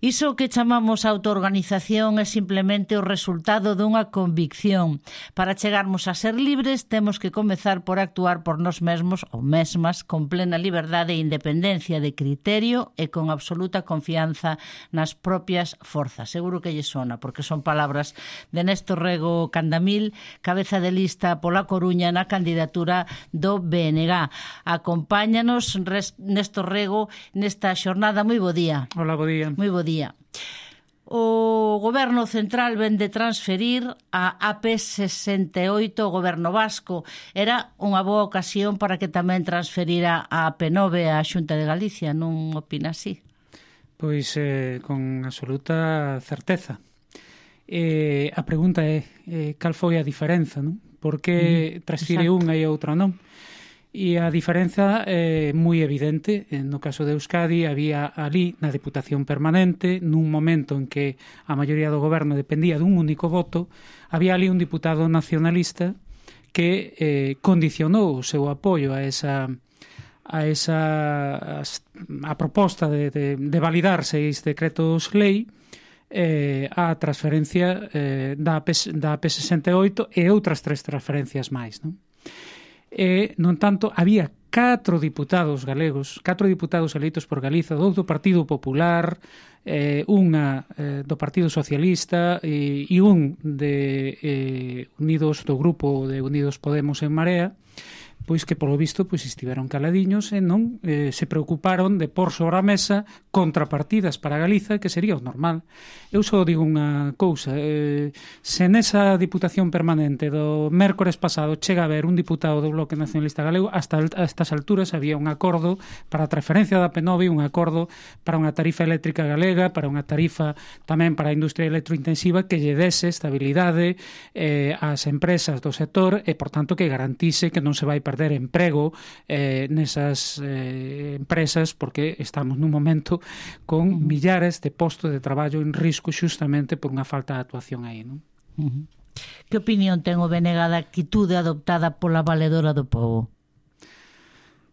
Iso que chamamos autoorganización é simplemente o resultado dunha convicción. Para chegarmos a ser libres, temos que comezar por actuar por nós mesmos ou mesmas con plena liberdade e independencia de criterio e con absoluta confianza nas propias forzas. Seguro que lle sona, porque son palabras de Néstor Rego Candamil, cabeza de lista pola Coruña na candidatura do BNG. Acompáñanos, Néstor Rego, nesta xornada. Moi bo día. Hola, bo día. Moi bo día. O Goberno Central ven de transferir a AP68 ao Goberno Vasco. Era unha boa ocasión para que tamén transferira a AP9 á Xunta de Galicia, non opina así? Pois con absoluta certeza. A pregunta é cal foi a diferenza, non? Por que transfire unha e outra non? E a diferenza é moi evidente. No caso de Euskadi había ali na Deputación Permanente, nun momento en que a maioría do goberno dependía dun único voto, había ali un diputado nacionalista que condicionou o seu apoio a proposta de validar 6 decretos lei a transferencia da AP68 e outras 3 transferencias máis, non? Non tanto, había 4 diputados galegos, 4 diputados eleitos por Galiza, 2 do Partido Popular, unha do Partido Socialista e un de Unidos, do grupo de Unidos Podemos en Marea, pois que polo visto pois estiveron caladiños e non se preocuparon de pôr sobre a mesa contrapartidas para Galiza, que sería o normal. Eu só digo unha cousa, se nesa Diputación Permanente do mércores pasado chega a haber un diputado do Bloque Nacionalista Galego, hasta estas alturas había un acordo para a transferencia da P9, un acordo para unha tarifa eléctrica galega, para unha tarifa tamén para a industria electrointensiva que lle dese estabilidade ás empresas do sector e, por tanto, que garantise que non se vai perder emprego nesas empresas, porque estamos nun momento con millares de postos de traballo en risco xustamente por unha falta de actuación aí, non? Que opinión ten o BNG da actitude adoptada pola valedora do pobo?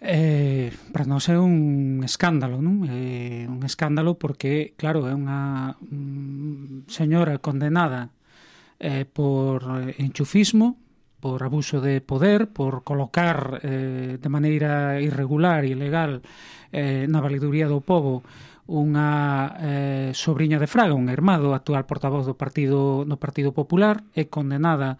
Para nós é un escándalo, non? Un escándalo porque, claro, é unha señora condenada por enchufismo, por abuso de poder, por colocar de maneira irregular e ilegal na valeduría do pobo unha sobrinha de Fraga, un irmán do actual portavoz do Partido Popular, é condenada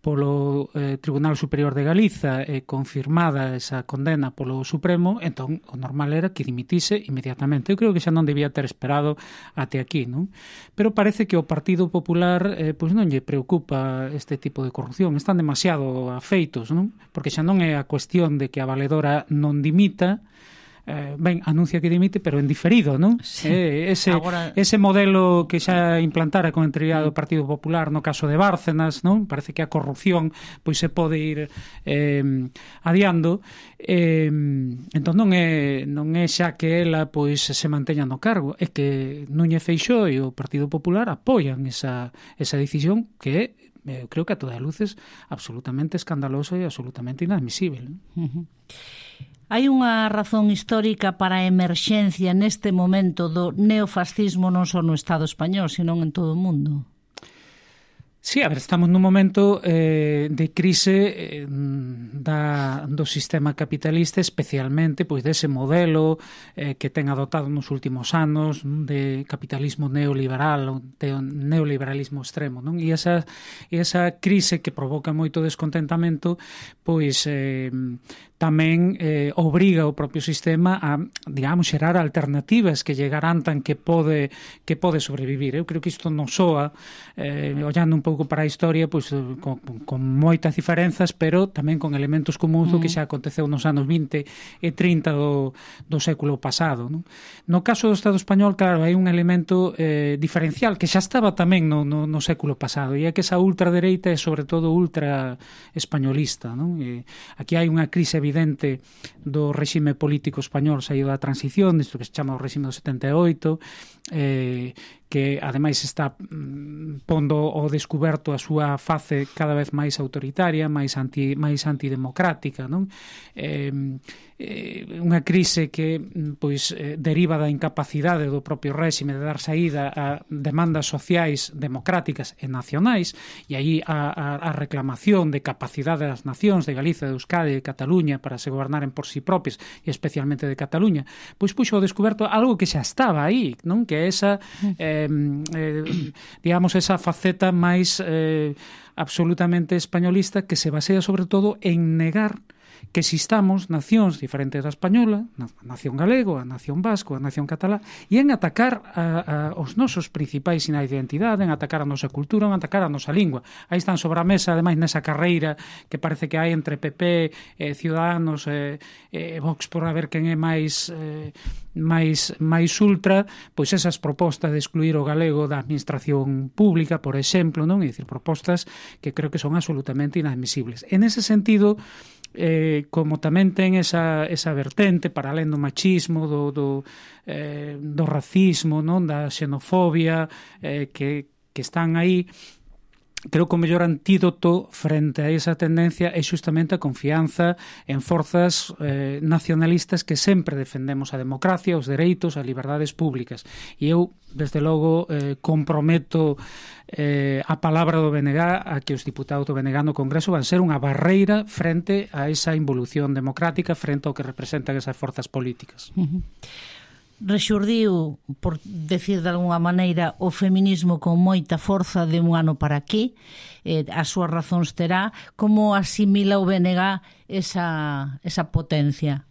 polo Tribunal Superior de Galiza e confirmada esa condena polo Supremo. Entón o normal era que dimitise inmediatamente. Eu creo que xa non debía ter esperado até aquí, non? Pero parece que o Partido Popular pois non lle preocupa este tipo de corrupción, están demasiado afeitos, non? Porque xa non é a cuestión de que a valedora non dimita, ben, anuncia que dimite, pero en diferido, non? Sí. Ese modelo que xa implantara con entrada do Partido Popular no caso de Bárcenas, non? Parece que a corrupción pois se pode ir adiando, entón non é xa que ela pois se manteña no cargo, é que Núñez Feixóo e o Partido Popular apoian esa decisión que é, creo que a todas luces, absolutamente escandalosa e absolutamente inadmisible, non? Hai unha razón histórica para a emerxencia neste momento do neofascismo non só no Estado español, senón en todo o mundo? Sí, a ver, estamos nun momento de crise do sistema capitalista, especialmente pois dese modelo que ten adoptado nos últimos anos de capitalismo neoliberal, de neoliberalismo extremo, non? E esa crise que provoca moito descontentamento, pois tamén obriga o propio sistema a, digamos, xerar alternativas que lle garantan que pode sobrevivir. Eu creo que isto non soa, ollando un pouco para a historia, pois con moitas diferenzas, pero tamén con elementos comuns do que xa aconteceu nos anos 20 e 30 do século pasado, non? No caso do Estado español, claro, hai un elemento diferencial que xa estaba tamén no século pasado, e é que esa ultradereita é sobre todo ultra españolista, non? Aquí hai unha crise evidente do réxime político español saído da transición, isto que se chama o réxime do 78, que ademais está pondo ao descuberto descuberto a súa face cada vez máis autoritaria, máis antidemocrática, non? Unha crise que pois deriva da incapacidade do propio réxime de dar saída a demandas sociais democráticas e nacionais, e aí a reclamación de capacidade das nacións de Galicia, de Euskadi e de Cataluña para se gobernaren por si propios, e especialmente de Cataluña, pois puxo ao descoberto algo que xa estaba aí, non? Que é esa digamos, esa faceta máis absolutamente españolista, que se basea sobre todo en negar que existamos nacións diferentes da española, a nación galego, a nación vasco, a nación catalá, e en atacar os nosos principais sinais de identidade, en atacar a nosa cultura, en atacar a nosa lingua. Aí están sobre a mesa, ademais, nesa carreira que parece que hai entre PP, Ciudadanos e Vox por a ver quen é máis ultra, pois esas propostas de excluir o galego da administración pública, por exemplo, non? É dicir, propostas que creo que son absolutamente inadmisibles. En ese sentido, como tamén ten esa vertente para alén do machismo, do racismo, non, da xenofobia, que están aí, creo que o mellor antídoto frente a esa tendencia é justamente a confianza en forzas nacionalistas que sempre defendemos a democracia, os dereitos, as liberdades públicas. E eu, desde logo, comprometo a palabra do BNG a que os diputados do BNG no Congreso van ser unha barreira frente a esa involución democrática, frente ao que representan esas forzas políticas. Rexurdiu, por decir de alguna maneira, o feminismo con moita forza de un ano para aquí, as súas razóns terá. Como asimila o BNG esa potencia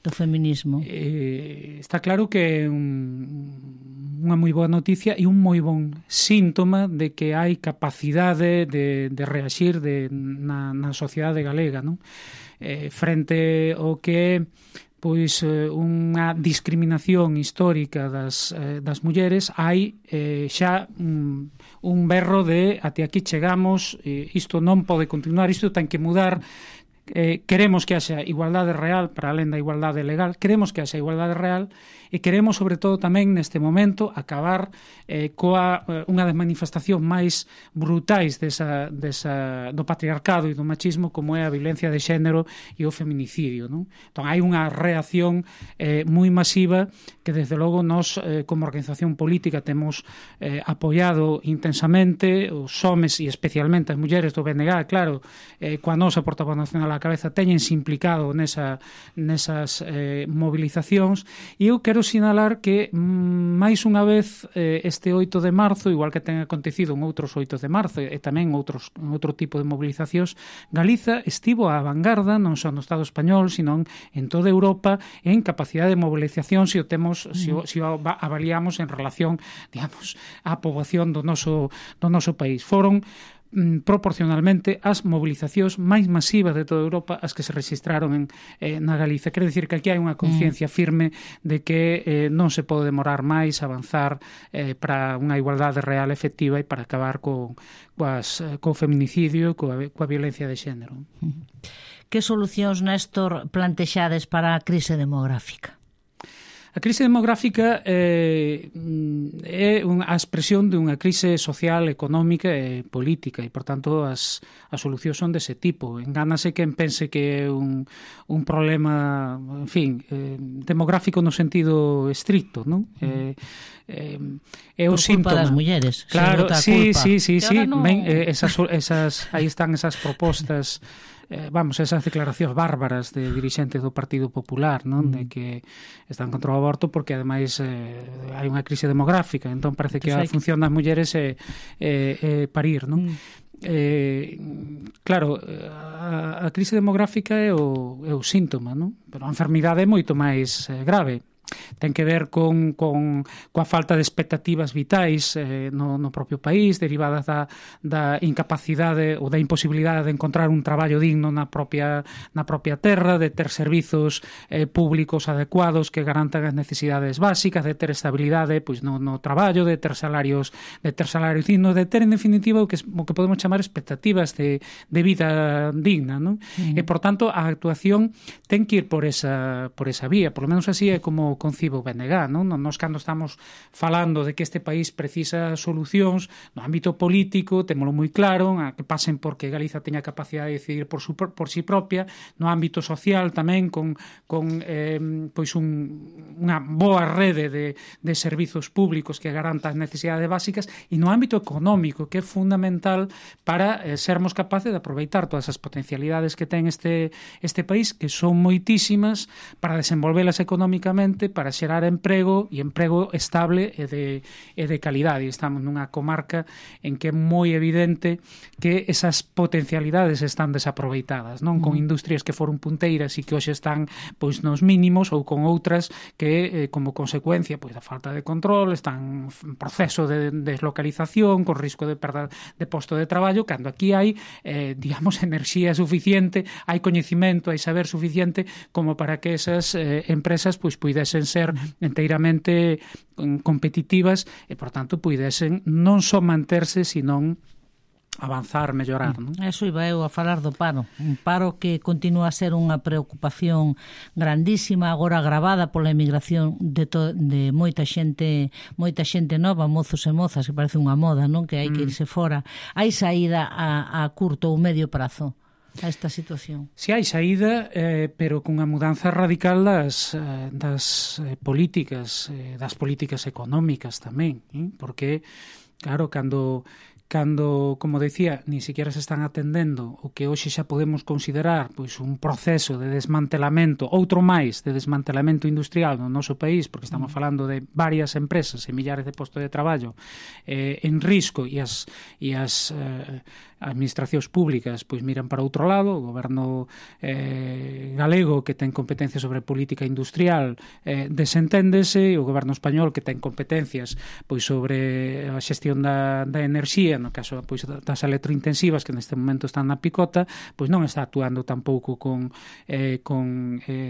do feminismo? Está claro que é unha moi boa noticia e un moi bon síntoma de que hai capacidade de reaxir na sociedade galega, non? Frente ao que pois unha discriminación histórica das mulleres, hai xa un berro de até aquí chegamos, isto non pode continuar, isto ten que mudar. Queremos que haxa igualdade real para alén da igualdade legal, queremos que haxa igualdade real e queremos, sobre todo, tamén neste momento acabar coa unha das manifestacións máis brutais do patriarcado e do machismo, como é a violencia de xénero e o feminicidio, non? Entón, hai unha reacción moi masiva que, desde logo, nós, como organización política, temos apoiado intensamente. Os homes e especialmente as mulleres do BNG, claro, coa nosa portavoz nacional á cabeza, teñense implicado nesas movilizacións, e eu quero sinalar que máis unha vez este 8 de marzo, igual que ten acontecido en outros 8 de marzo e tamén outro tipo de movilizacións, Galiza estivo á vanguarda non só no Estado español, sino en toda Europa en capacidade de movilización se o avaliamos en relación, digamos, á poboación do noso país. Foron proporcionalmente as movilizacións máis masivas de toda Europa as que se registraron na Galiza. Quer dicir que aquí hai unha conciencia firme de que non se pode demorar máis avanzar para unha igualdade real efectiva e para acabar co feminicidio e coa violencia de xénero. Que solucións, Néstor, plantexades para a crise demográfica? A crise demográfica é a expresión de unha crise social, económica e política, e, por tanto, as solucións son dese tipo. Engánase quen pense que é un problema, en fin, demográfico no sentido estricto, non? É o síntoma das mulleres. Claro, sí. No... Ben, aí están esas propostas, esas declaracións bárbaras de dirixentes do Partido Popular, non? De que están contra o aborto porque ademais hai unha crise demográfica, entón parece que a función das mulleres é parir, non? Claro, a crise demográfica é o síntoma, non? Pero a enfermidade é moito máis grave. Ten que ver coa falta de expectativas vitais no propio país, derivadas da incapacidade ou da imposibilidade de encontrar un traballo digno na propia terra, de ter servizos públicos adecuados que garantan as necesidades básicas, de ter estabilidade pois no traballo, de ter salarios dignos, de ter, en definitiva, o que podemos chamar expectativas de vida digna, non? E, por tanto, a actuación ten que ir por esa vía, por lo menos así é como concibe o BNG, non? Nos cando estamos falando de que este país precisa solucións no ámbito político, témolo moi claro, a que pasen porque Galiza teña capacidade de decidir por si propia, no ámbito social tamén con pois unha boa rede de servizos públicos que garantan as necesidades básicas, e no ámbito económico, que é fundamental para sermos capaces de aproveitar todas as potencialidades que ten este país, que son moitísimas, para desenvolvelas económicamente, para xerar emprego e emprego estable e de calidade. Estamos nunha comarca en que é moi evidente que esas potencialidades están desaproveitadas, non? Con industrias que foron punteiras e que hoxe están pois nos mínimos, ou con outras que como consecuencia pois da falta de control están en proceso de deslocalización, con risco de perda de posto de traballo, cando aquí hai digamos enerxía suficiente, hai coñecimento, hai saber suficiente como para que esas empresas pois puidesen ser enteiramente competitivas e, por tanto, puidesen non só manterse, senón avanzar, mellorar, non? Eso iba eu a falar do paro. Un paro que continúa a ser unha preocupación grandísima, agora agravada pola emigración de moita xente nova, mozos e mozas, que parece unha moda, non? Que hai que irse fora. Hai saída a curto ou medio prazo a esta situación? Si hai saída, pero cunha mudanza radical das políticas económicas tamén, porque, claro, cando, como decía, ni siquiera se están atendendo o que hoxe xa podemos considerar pois un proceso de desmantelamento, outro máis de desmantelamento industrial no noso país, porque estamos falando de varias empresas e millares de postos de traballo en risco, e as administracións públicas pois miran para outro lado. O goberno galego, que ten competencia sobre política industrial, desenténdese, o goberno español, que ten competencias pois sobre a xestión da enerxía, no caso pois das electrointensivas, que neste momento están na picota, pois non está actuando tampouco con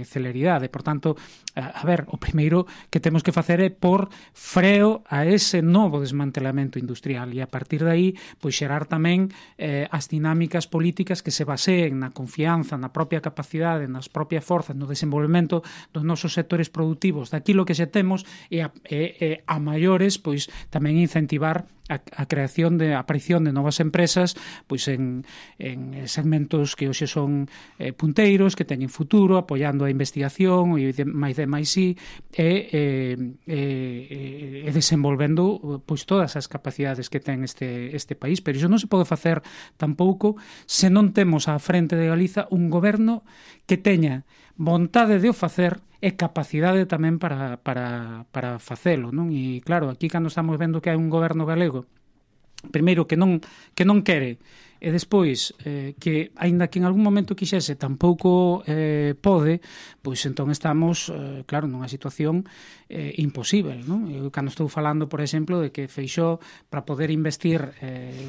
celeridade. Por tanto, a ver, o primeiro que temos que facer é por freo a ese novo desmantelamento industrial, e a partir de aí pois xerar tamén as dinámicas políticas que se baseen na confianza, na propia capacidade, nas propias forzas, no desenvolvemento dos nosos sectores productivos, daquilo que xe temos, e a maiores pois tamén incentivar a creación de aparición de novas empresas pois en segmentos que hoxe son punteiros, que teñen futuro, apoiando a investigación e máis de máis e desenvolvendo pois todas as capacidades que ten este país. Pero iso non se pode facer tampouco se non temos á frente de Galiza un goberno que teña vontade de o facer e capacidade tamén para facelo, non? E claro, aquí cando estamos vendo que hai un goberno galego, primeiro que non quere, e despois que, aínda que en algún momento quixese, tampouco pode, pois entón estamos, claro, nunha situación imposible, non? Eu cando estou falando, por exemplo, de que Feixóo, para poder investir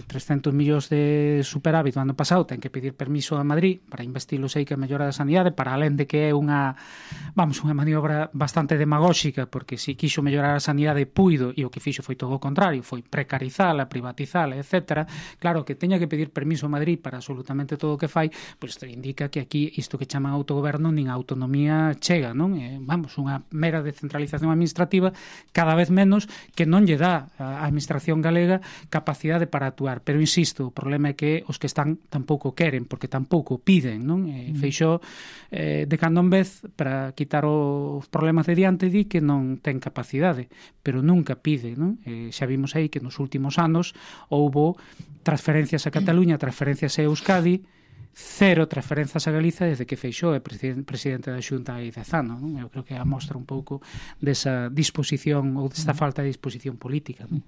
300 millóns de superávit do ano pasado, ten que pedir permiso a Madrid para investilo, sei que a mellora da sanidade, para alén de que é unha maniobra bastante demagóxica, porque se quixo mellorar a sanidade puido, e o que fixo foi todo o contrario, foi precarizala, privatizala, etc. Claro, que teña que pedir permiso a Madrid para absolutamente todo o que fai, pois isto indica que aquí isto que chaman autogoberno nin a autonomía chega, non? Unha mera descentralización administrativa cada vez menos, que non lle dá á administración galega capacidade para actuar. Pero insisto, o problema é que os que están tampouco queren, porque tampouco piden, non? Feixóo de cando en vez, para quitar os problemas de diante, di que non ten capacidade, pero nunca pide, non? Xa vimos aí que nos últimos anos houbo transferencias a Cataluña, transferencias a Euskadi, cero transferencias a Galiza desde que Feixóo é presidente da Xunta hai 10 anos, non? Eu creo que mostra un pouco desa disposición ou desta falta de disposición política, non?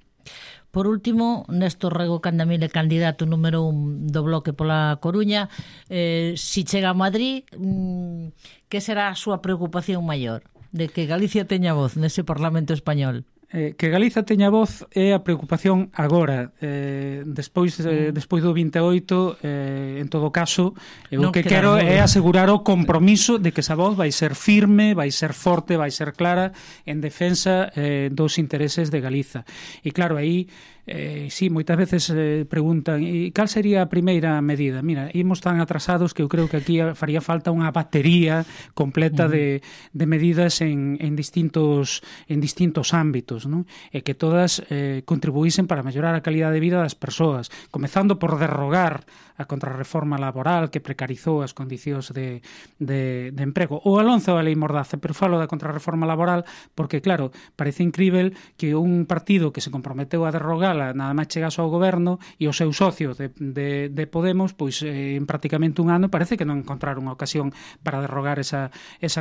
Por último, Néstor Rego Candamil é candidato número 1 do Bloque pola Coruña. Si chega a Madrid, que será a súa preocupación maior? De que Galicia teña voz nese Parlamento español? que Galiza teña voz é a preocupación agora. Despois do 28, en todo caso, o que quero é asegurar o compromiso de que esa voz vai ser firme, vai ser forte, vai ser clara en defensa dos intereses de Galiza. E claro, aí sí, moitas veces preguntan e cal sería a primeira medida? Mira, imos tan atrasados que eu creo que aquí faría falta unha batería completa de medidas en distintos ámbitos, non? E que todas contribuísen para mellorar a calidad de vida das persoas, comezando por derrogar a contrarreforma laboral que precarizou as condicións de emprego, ou alonzo a lei Mordaza, pero falo da contrarreforma laboral porque, claro, parece incrível que un partido que se comprometeu a derrogar nada máis chegase ao goberno e o seu socio de Podemos, pois en prácticamente un ano parece que non encontraron unha ocasión para derrogar esa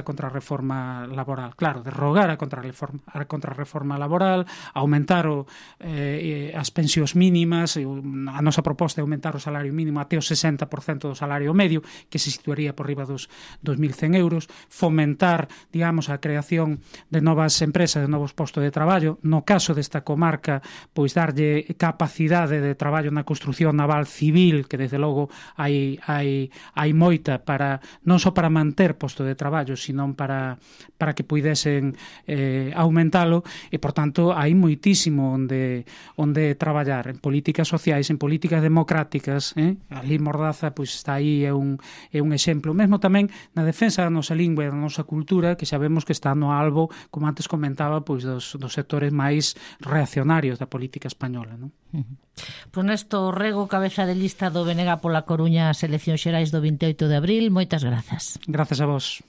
contrarreforma laboral. Claro, derrogar a contrarreforma laboral, aumentar as pensións mínimas, a nosa proposta é aumentar o salario mínimo até o 60% do salario medio, que se situaría por riba dos 2.100 euros, fomentar, digamos, a creación de novas empresas, de novos postos de traballo, no caso desta comarca, pois darlle capacidade de traballo na construción naval civil, que desde logo hai moita para non só para manter posto de traballo, sino para que puidesen aumentalo, e por tanto hai moitísimo onde traballar en políticas sociais, en políticas democráticas. A lei Mordaza pois está aí, é un exemplo, mesmo tamén na defensa da nosa lingua e da nosa cultura, que sabemos que está no albo, como antes comentaba, pois dos sectores máis reaccionarios da política española, non? Pois Néstor Rego, cabeza de lista do BNG pola Coruña ás eleccións xerais do 28 de abril, moitas grazas. Grazas a vos.